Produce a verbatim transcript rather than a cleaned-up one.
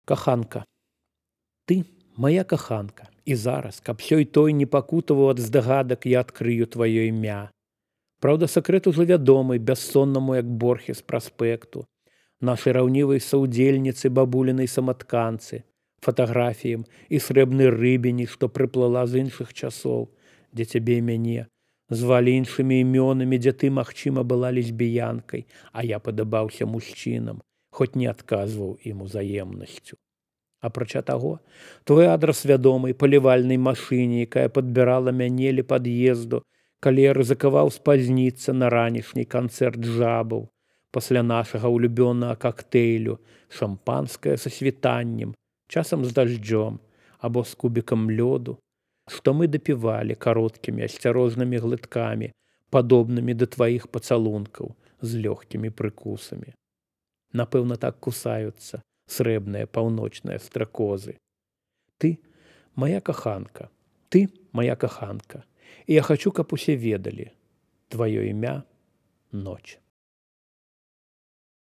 Каханка, ты моя каханка, і зараз, каб сёй той не пакутаваў ад здагадак, я адкрыю тваё імя. Праўда, сакрэт ужо вядомы, бяссоннаму, як борхі з праспекту, нашай раўнівай саўдзельніцы бабулінай саматканцы, фатаграфіям і срэбнай рыбіні, што прыплыла з іншых часоў, дзе цябе і мяне звалі іншымі імёнамі, дзе ты, магчыма, была лесбіянкай, а я падабаўся мужчынам, хоць не адказваў ім узаемнасцю. Апрача таго, твой адрас вядомай палівальнай машыне, якая падбірала мяне ля пад'езду, калі я рызыкаваў спазніцца на ранішні канцэрт жабаў, пасля нашага ўлюбёнага кактэйлю, шампанскае са світаннем, часам з дажджом або з кубікам лёду, што мы дапівалі кароткімі асцярожнымі глыткамі, падобнымі да тваіх пацалункаў з лёгкімі прыкусамі. Напэўна, так кусаюцца срэбныя паўночныя стракозы. Ты моя каханка, ты моя каханка, і я хачу, каб усе ведалі тваё імя — ноч.